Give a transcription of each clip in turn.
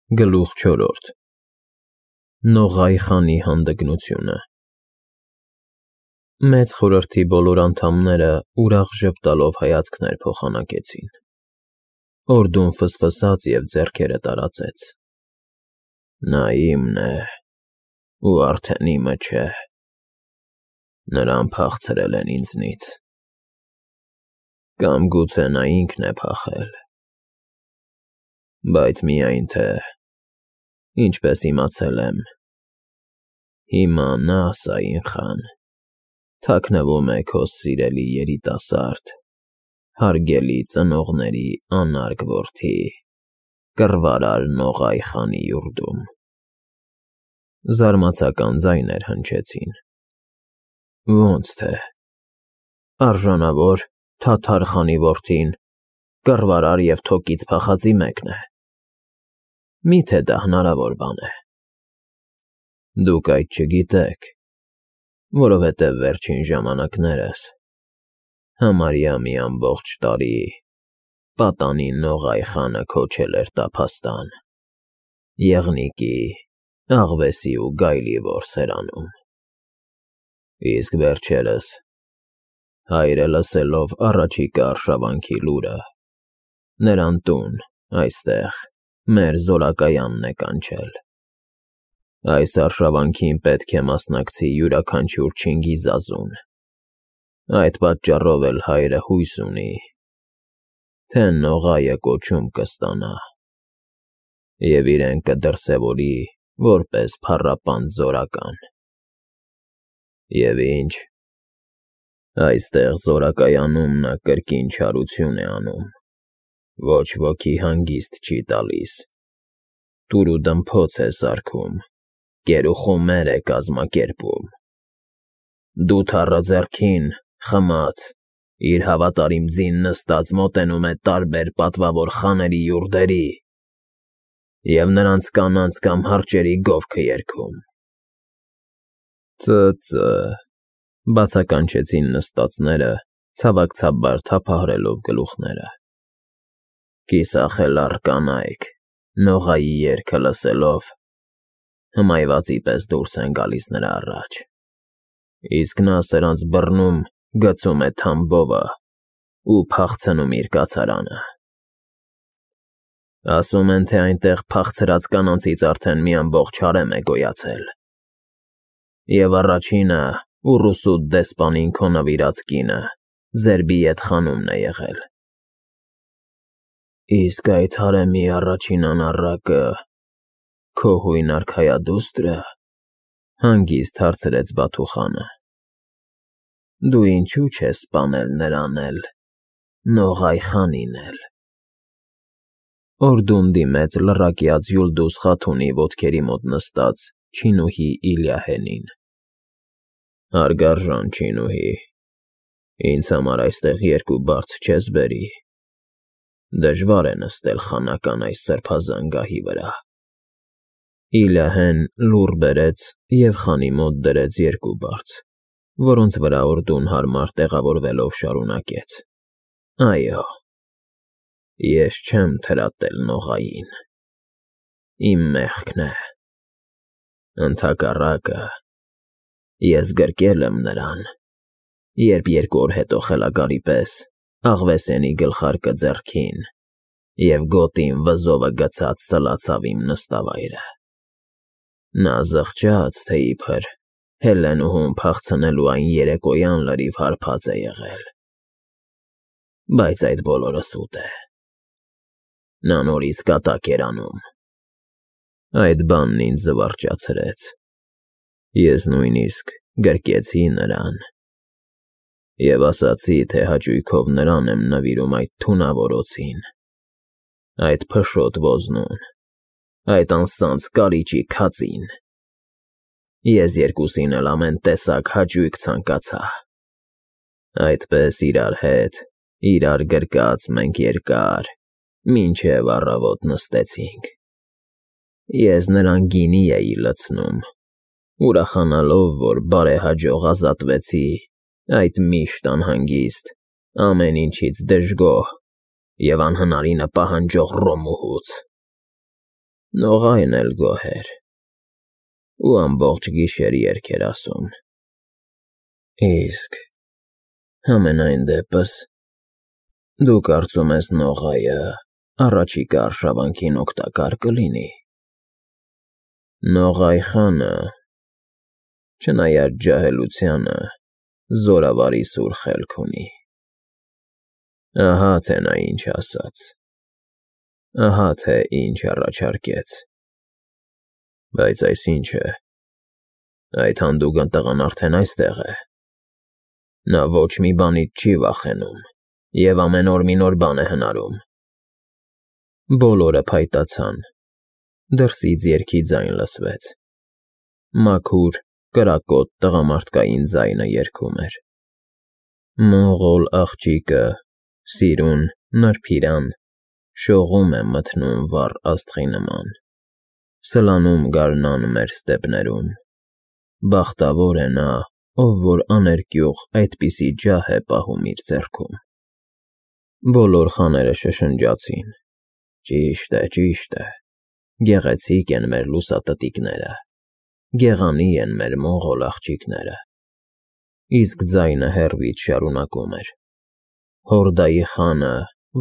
Գլուխ 4 Նողայ խանի հանդգնությունը Մեծ խորհրդի բոլոր անդամները ուրախ ժպտալով հայացքներ փոխանակեցին։ Օրդուն ֆսֆսաց և ձեռքերը տարածեց. Նա իմն է, ու արդեն իմը չէ, նրան փախցրել են ինձնից, կամ գուցե նա ինքն է փախել, բայց միայն թե, ինչպես իմացել եմ, հիմա նա, Սաին խան, թաքնվում է քո սիրելի երիտասարդ, հարգելի ծնողների անարգ որդի, կռվարար Նողայ խանի յուրդում։ Զարմացական ձայներ հնչեցին. Ոնց թե, արժանավոր Թաթար խանի որդին կռվարար և թոկից փախածի մեկն է, մի՞թե դա հնարավոր բան է։ Դուք այդ չգիտեք, որովհետև վերջին ժամանակներս համարյա մի ամբողջ տարի պատանի Նողայ խանը քոչել էր տափաստան, եղնիկի, աղվեսի ու գայլի որսերանում, իսկ վերջերս, հայրը լսելով առաջիկա արշավանքի լուրը, նրան տուն, այստեղ, մեր զորակայանն է կանչել։ Այս արշավանքին պետք է մասնակցի յուրաքանչյուր Չինգիզազուն, այդ պատճառով էլ հայրը հույս ունի, թե Նողայը կոչում կստանա և իրեն կդրսևորի որպես փառապանծ զորական։ Եվ ինչ, այստեղ զորակայանում նա կրկին չարություն է անում, ոչ ոքի հանգիստ չի տալիս, տուր ու դմփոց է սարքում, կեր ու խումեր է կազմակերպում, դութառը ձեռքին, խմած, իր հավատարիմ ձին նստած մոտենում է տարբեր պատվավոր խաների յուրդերի և նրանց կանանց կամ հարճերի գովքը երգում։ Ծը, բացականչեցին նստածները, ցավակցաբար թափահարելով գլուխները։ Կիսախելառ կանայք, Նողայի երգը լսելով, հմայվածի պես դուրս են գալիս նրա առաջ, իսկ նա սրանց բռնում գցում է թամբովը ու փախցնում իր կացարանը։ Ասում են, թե այնտեղ փախցրած կանանցից արդեն մի ամբողջ հարեմ է գոյացել, և առաջինը Ուռուսուտ դեսպանին քո նվիրած կինը Զերբիեթ խանումն է եղել։ Իսկ այդ հարեմի առաջին անառակը քո հույն արքայադու՞ստրը, հանգիստ հարցրեց Բաթուխանը։ Դու ինչու չես սպանել նրան էլ, Նողայ խանին էլ։ Օրդուն դիմեց լռակյաց Յուլդուզ Խաթունի ոտքերի մոտ նստած չինուհի Իլյահենին։ Հարգարժան չինուհի, ինձ համար այստեղ երկու բարձ չես բերի, դժվար է նստել խանական այս սրբազան գահի վրա։ Իլյահեն լուռ բերեց և խանի մոտ դրեց երկու բարձ, որոնց վրա Օրդուն հարմար տեղավորվելով շարունակեց. Այո, ես չեմ թրատել Նողային, իմ մեղքն է, ընդհակառակը, ես գրկել եմ նրան, երբ երկու օր հետո խելագարի պես աղվեսենի գլխարկը ձեռքին և գոտին վզովը գցած սլացավ իմ նստավայրը։ Նա զղջաց, թե իբր Հելենուհուն փախցնելու այն երեկոյան լրիվ հարբած է եղել, բայց այդ բոլորը սուտ է, նա նորից կատակ էր անում։ Այդ բանն ինձ զվարճացրեց, ես նույնիսկ գրկեցի նրան և ասացի, թե հաճույքով նրան եմ նվիրում այդ թունավոր օձին, այդ փշոտ ոզնուն, այդ անսանձ կարիճի քածին։ Ես երկուսին էլ ամեն տեսակ հաճույք ցանկացա։ Այդպես իրար հետ, իրար գրկած մենք երկար, մինչև առավոտ նստեցինք։ Ես նրան գինի էի լցնում, ուրախանալով, որ բարեհաջող ազատվեցի այդ միշտ անհանգիստ, ամեն ինչից դժգոհ և անհնարինը պահանջող Ռոմուհուց։ Նողայն էլ գոհ էր, ու ամբողջ գիշեր երգ էր ասում։ Իսկ համենայն դեպս, դու կարծում ես Նողայը առաջիկա արշավանքին օգտակար կլինի։ Նողայ խանը, չնայած ջահելությանը, զորավարի սուր խելք ունի։ Ահա թե նա ինչ ասաց, ահա թե ինչ առաջարկեց։ Բայց այս ինչ է, այդ հանդուգն տղան արդեն այստեղ է։ Նա ոչ մի բանից չի վախենում և ամեն օր մի նոր բան է հնարում։ Բոլորը փայտացան, դրսից երգի ձայն լսվեց։ Մաքուր, կրակոտ տղամարդկային ձայնը երգում էր. Մողոլ աղջիկը, սիրուն, նրբիրան, շողում է մթնում վառ աստղի նման, սլանում գարնան մեր ստեպներում, բախտավոր է նա, ով որ աներկյուղ այդպիսի ջահ է պահում իր ձեռքում։ Բոլոր խաները շշնջացին. ճիշտ է, գեղեցիկ են մեր լուսատտիկները, գեղանի են մեր մողոլ աղջիկները։ Իսկ ձայնը հեռվից շարունակում էր. Հորդայի խանը,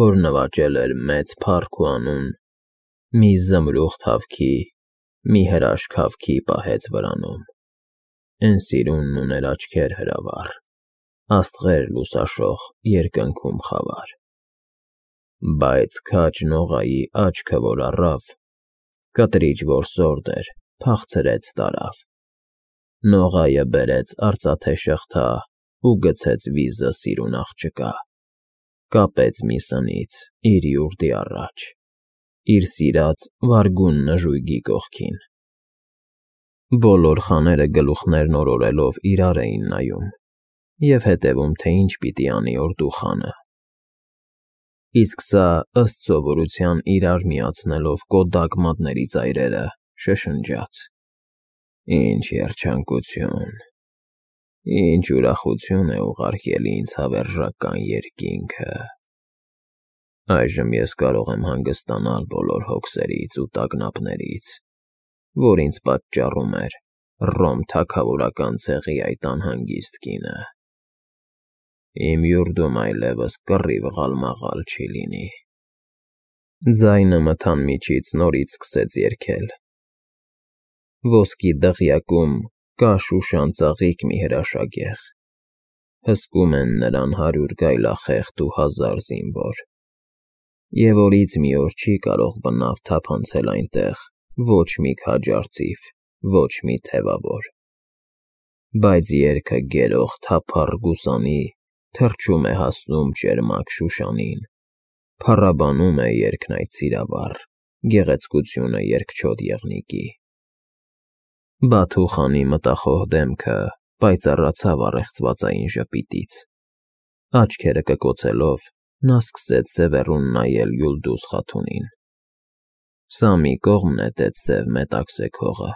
որ նվաճել էր մեծ փառք ու անուն, մի զմրուխտ հավքի, մի հրաշք հավքի պահեց վրանում։ Էն սիրունն ուներ աչքեր հրավառ, աստղեր լուսաշող երկնքում խավար։ Բայց քաջ Նողայի աչքը, որ առավ, կտրիչ, որ սորդ էր, փախցրեց տարավ։ Նողայը բերեց արծաթե շղթա ու գցեց վիզը սիրուն աղջկա, կապեց մի սնից իր յուրդի առաջ, իր սիրած վարգուն նժույգի կողքին։ Բոլոր խաները գլուխներն օրորելով իրար էին նայում և հետևում, թե ինչ պիտի անի օրդու խանը։ Իսկ սա, ըստ սովորության իրար միացնելով կոդակ մատների ծայրերը, շշնջաց. Ինչ երջանկություն, ինչ ուրախություն է ուղարկել ինձ հավերժական երկինքը։ Այժմ ես կարող եմ հանգստանալ բոլոր հոգսերից ու տագնապներից, որ ինձ պատճառում էր Ռոմ թագավորական ցեղի այդ անհանգիստ կինը։ Իմ յուրդում այլևս կռիվ ղալմաղալ չի լինի։ Ձայնը մթան միջից նորից սկսեց երգել։ Ոսկի դղյակում կա շուշան ծաղիկ մի հրաշագեղ, հսկում են նրան 100 գայլախեղդ ու 1000 զինվոր, և օրից մի օր չի կարող բնավ թափանցել այնտեղ ոչ մի քաջ արծիվ, ոչ մի թևավոր։ Բայց երգը գերող թափառ գուսանի թռչում է հասնում ճերմակ Շուշանին, փառաբանում է երգն այդ սիրավառ, գեղեցկությունը երգչոտ եղնիկի։ Բաթու խանի մտախոհ դեմքը պայծառացավ առեղծվածային ժպիտից, աչքերը կկոցելով նա սկսեց սևեռուն նայել Յուլդուզ խաթունին։ Սա մի կողմ նետեց սև մետաքսե քողը,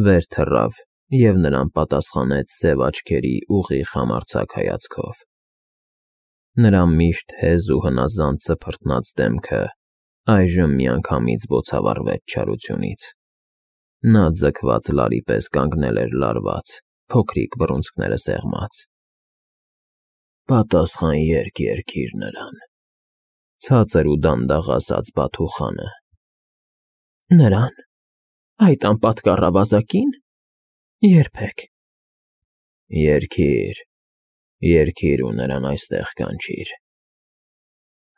վեր թռավ և նրան պատասխանեց սև աչքերի ուղիղ համարձակ հայացքով։ Նրա միշտ հեզ ու հնազանդ սփռտնած դեմքը այժմ միանգամից բոցավառվեց չարությունից։ Նա ձգված լարի պես կանգնել էր լարված, փոքրիկ բռունցքները սեղմած։ Պատասխան երգ երգիր նրան, ցածր ու դանդաղ ասաց Բաթու խանը։ Նրան, այդ անպատկառ ավազակի՞ն։ Երբեք։ Երգիր ու նրան այստեղ կանչիր,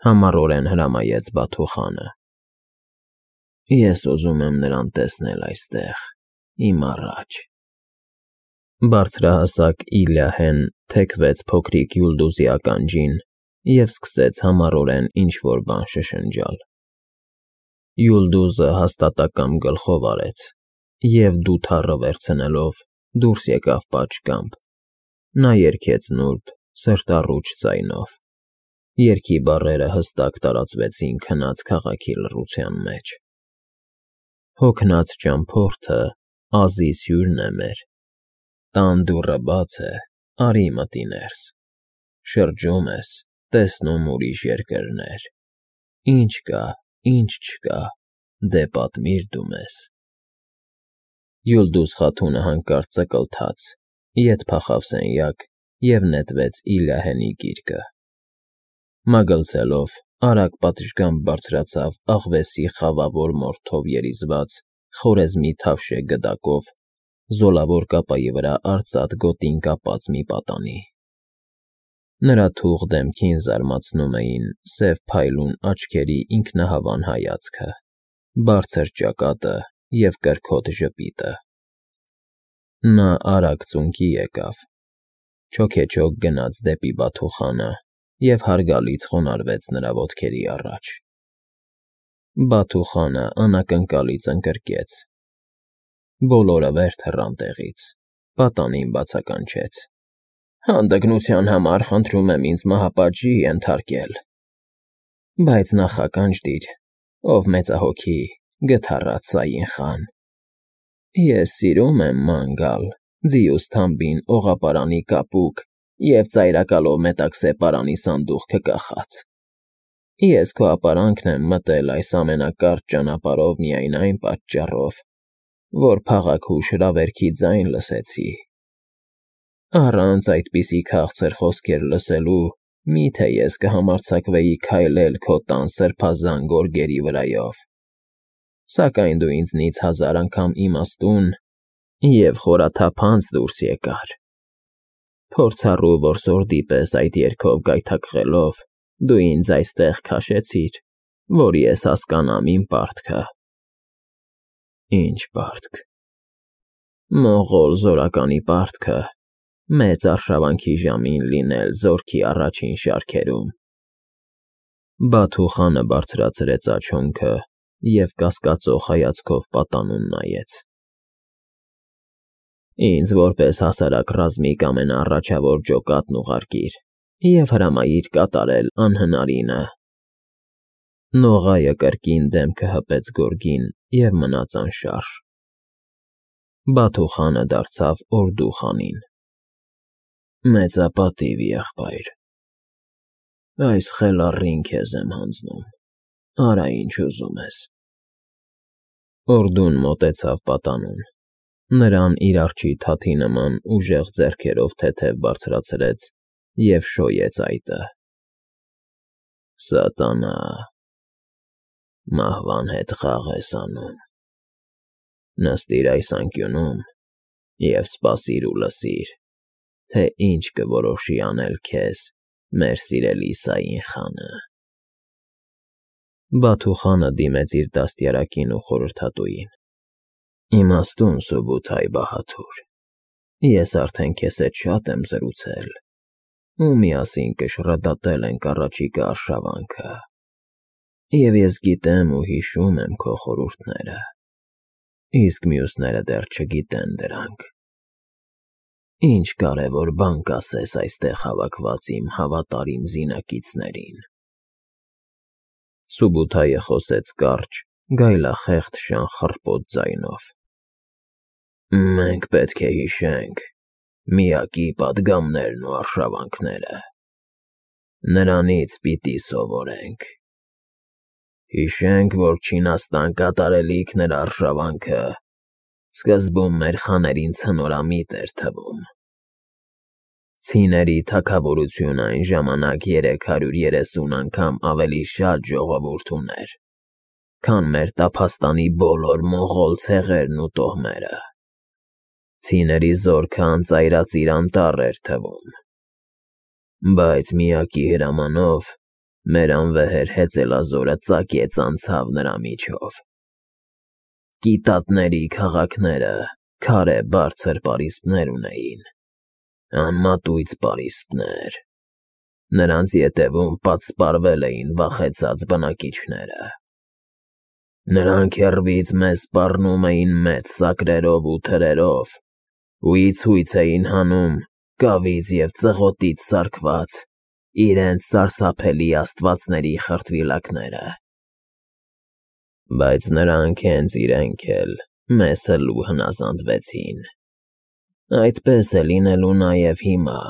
համառորեն հրամայեց Բաթու խանը։ Ես ուզում եմ նրան տեսնել այստեղ, իմ առաջ։ Բարձրահասակ Իլիահեն թեքվեց փոքրիկ Յուլդուզի ականջին և սկսեց համառորեն ինչ-որ բան շշնջալ։ Յուլդուզը հաստատակամ գլխով արեց և դութառը վերցնելով դուրս եկավ պատշգամբ։ Նա երգեց նուրբ, սրտառուչ ձայնով։ Երգի բառերը հստակ տարածվեցին քնած քաղաքի լռության մեջ։ Հոգնած ճամփորդը Ազիս հյուրն է մեր, տան դուռը բաց է, արի մտի ներս, շրջում ես, տեսնում ուրիշ երկրներ, ինչ կա, ինչ չկա, դե պատմիր դու մեզ։ Յուլդուս Խաթունը հանկարծ ծկլթաց, ետ փախավ սենյակ և նետվեց Իլիահենի գիրկը։ Մագլցելով, արագ պատշգամբ բարձրացավ աղվեսի խավավոր մորթով երիզված խորեզմի թավշե գդակով, զոլավոր կապայի վրա արծաթ գոտին կապած մի պատանի։ Նրա թուղ դեմքին զարմացնում էին սև փայլուն աչքերի ինքնահավան հայացքը, բարձր ճակատը և կրքոտ ժպիտը։ Նա արագ ծունկի եկավ, չոքեչոք գնաց դեպի Բաթուխանը և հարգալից խոնարհվեց նրա ոտքերի առաջ։ Բաթուխանը անակնկալից ընկրկեց։ Բոլորը վեր թռան տեղից, պատանին բացականչեց։ Հանդգնության համար խնդրում եմ ինձ մահապատժի ենթարկել։ Բայց նախականջդիր, ով մեծահոգի, գթառացային խան։ Ես սիրում եմ ման գալ, ձիուս թամբին օղապարանի կապուկ և ծայրակալով մետաքսե պարանի սանդուղքը կախած։ Ես քո ապարանքն եմ մտել այս ամենակարճ ճանապարհով միայն այն պատճառով, որ փաղաքուշ հրավերքի ձայն լսեցի։ Առանց այդպիսի քաղցր խոսքեր լսելու մի՞թե ես կհամարձակվեի քայլել քո տան սրբազան գորգերի վրայով։ Սակայն դու ինձնից 1000 անգամ իմաստուն և խորաթափանց դուրս եկար։ Փորձառու որսորդի պես այդ երգով գայթակղելով, դու ինձ այստեղ քաշեցիր, որ ես հասկանամ իմ պարտքը։ Ինչ պարտք։ Մողոլ զորականի պարտքը մեծ արշավանքի ժամին լինել զորքի առաջին շարքերում։ Բաթուխանը բարձրացրեց աչոնքը և կասկածող հայացքով պատանուն նայեց։ Ինձ որպես հասարակ ռազմիկ ամենաառաջավոր ջոկատն ուղարկիր և հրամայիր կատարել անհնարինը։ Նողայը կրկին դեմքը հպեց գորգին և մնաց անշարժ։ Բաթուխանը դարձավ օրդուխանին։ Մեծապատիվ եղբայր։ Այս խելառին քեզ եմ հանձնում, արա ինչ ուզում ես։ Օրդուն մոտեցավ պատանուն, նրան իր արջի թաթի նման ուժեղ ձեռքերով թեթև բարձրացրեց և շոյեց այտը։ Սատանա, մահվան հետ խաղ ես անում։ Նստիր այս անկյունում և սպասիր ու լսիր, թե ինչ կորոշի անել քեզ մեր սիրելի Իսային խանը։ Բաթուխանը դիմեց իր դաստիարակին ու խորհրդատուին։ Իմաստուն Սուբութայ բահադուր, ես արդեն քեզ հետ շատ եմ զրուցել, ու միասին կշռադատել ենք առաջիկա արշավանքը։ Եվ ես գիտեմ ու հիշում եմ քո խորհուրդները, իսկ մյուսները դեռ չգիտեն դրանք։ Ինչ կարևոր բան կասես այստեղ հավաքված իմ հավատարիմ զինակիցներին։ Սուբութայը խոսեց կարճ, գայլախեղդ շան խռպոտ ձայնով։ Մենք պետք է հիշենք միակի պատգամներն ու արշավանքները։ Նրանից պիտի սովորենք։ Հիշենք, որ Չինաստան կատարելիքն էր արշավանքը, սկզբում մեր խաներին ցնորամիտ էր թվում։ Ցիների թագավորությունը այն ժամանակ 330 անգամ ավելի շատ ժողովուրդ ուներ, քան մեր տափաստանի բոլոր մողոլ ցեղերն ու տոհմերը։ Ցիների զորքը անծայրածիր անտառ էր թվում։ Բայց միակի հրամանով մեր անվեհեր հեծելազորը ծակեց անցավ նրա միջով։ Կիտատների քաղաքները քարե բարձր պարիսպներ ունեին, անմատույց պարիսպներ։ Նրանց ետևում պատսպարվել էին վախեցած բնակիչները։ Նրանք հեռվից մեզ սպառնում էին մեծ սակրերով ու թրերով ու իցույց էին հանում կավից և ծղոտից սարքված իրենց սարսափելի աստվածների խրտվիլակները։ Բայց նրանք հենց իրենք էլ մեզ հլու հնազանդվեցին։ Այդպես է լինելու նաև հիմա։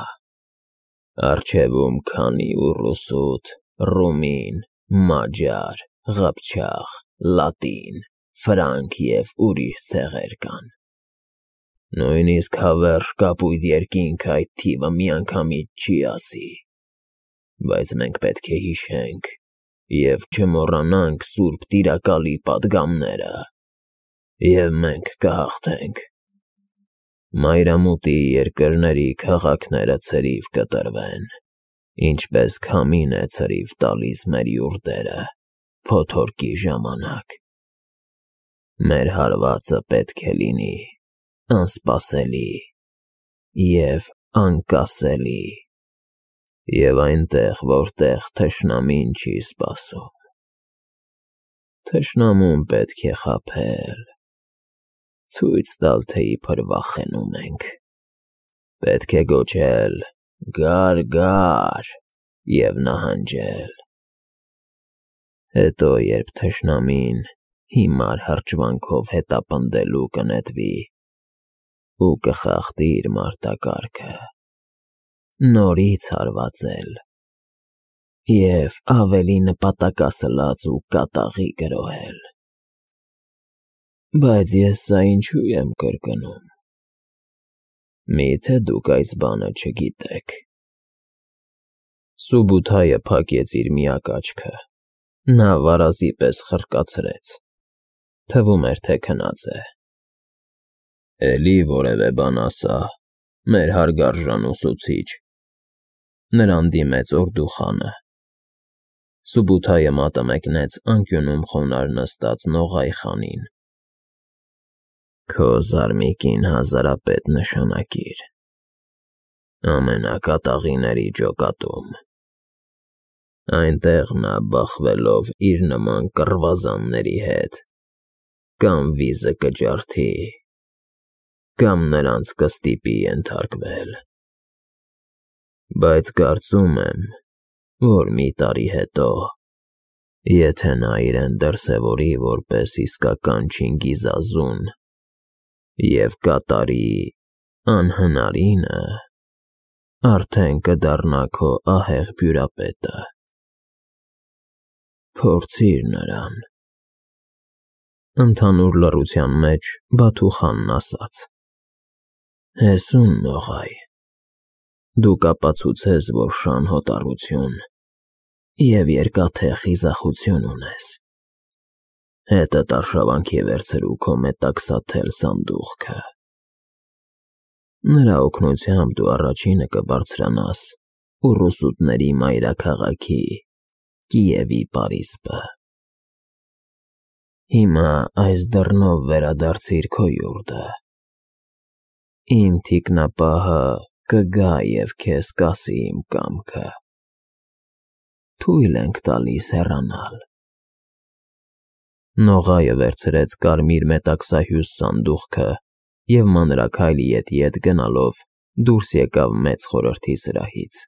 Առջևում քանի ու ռուսուտ, ռումին, մաջար, ղափչաղ, լատին, ֆրանկ և ուրիշ ցեղեր կան։ Նույնիսկ հավերժ կապույտ երկինքը այդ թիվը միանգամից չի ասի, բայց մենք պետք է հիշենք և չմոռանանք սուրբ տիրակալի պատգամները, և մենք կհաղթենք։ Մայրամուտի երկրների քաղաքները ցրիվ կտրվեն, ինչպես քամին է ցրիվ տալիս մեր յուրտերը փոթորկի ժամանակ։ Մեր հարվածը պետք է լինի անսպասելի և անկասելի, և այնտեղ, որտեղ թշնամին չի սպասում, թշնամուն պետք է խաբել, ցույց տալ, թե իբր վախենում ենք։ Պետք է գոչել. «Գա՛ր» և նահանջել։ Հետո, երբ թշնամին հիմար հրճվանքով հետապնդելու կնետվի ու կխախտի իր մարտակարգը, նորից հարվածել և ավելի նպատակասլաց ու կատաղի գրոհել։ Բայց ես սա ինչու եմ կրկնում։ Մի՞թե դուք այս բանը չգիտեք։ Սուբութայը փակեց իր միակ աչքը, նա վարազի պես խռկացրեց, թվում էր, թե քնած է։ Էլի որևէ բան ասա, մեր հարգարժան ուսուցիչ, նրան դիմեց Օրդուխանը։ Սուբութայը մատը մեկնեց անկյունում խոնարհ նստած Նողայ խանին։ Քո զարմիկին հազարապետ նշանակիր ամենակատաղիների ջոկատում։ Այնտեղ նա բախվելով իր նման կռվազանների հետ կամ վիզը կջարդի, կամ նրանց կստիպի ենթարկվել։ Բայց կարծում եմ, որ մի տարի հետո, եթե նա իրեն դրսևորի որպես իսկական Չինգիզազուն և կատարի անհնարինը, արդեն կդառնա քո ահեղ բյուրապետը։ Փորձիր նրան։ Ընդհանուր լռության մեջ Բաթուխանն ասաց. Հեսուն Նողայ, դու կապացուցես, որ շան հոտառություն և երկաթե խիզախություն ունես։ Հետդ արշավանքի վերցրու քո մետաքսաթել սանդուղքը։ Նրա օգնությամբ դու առաջինը կբարձրանաս ուռուսուտների մայրաքաղաքի Կիևի պարիսպը։ Հիմա այս դռնով վերադարձիր քո յուրտը։ Իմ թիկնապահը կգա և քեզ կասի իմ կամքը։ Թույլ ենք տալիս հեռանալ։ Նողայը վերցրեց կարմիր մետաքսահյուս սանդուղքը և մանրաքայլ ետ գնալով դուրս եկավ մեծ խորհրդի սրահից։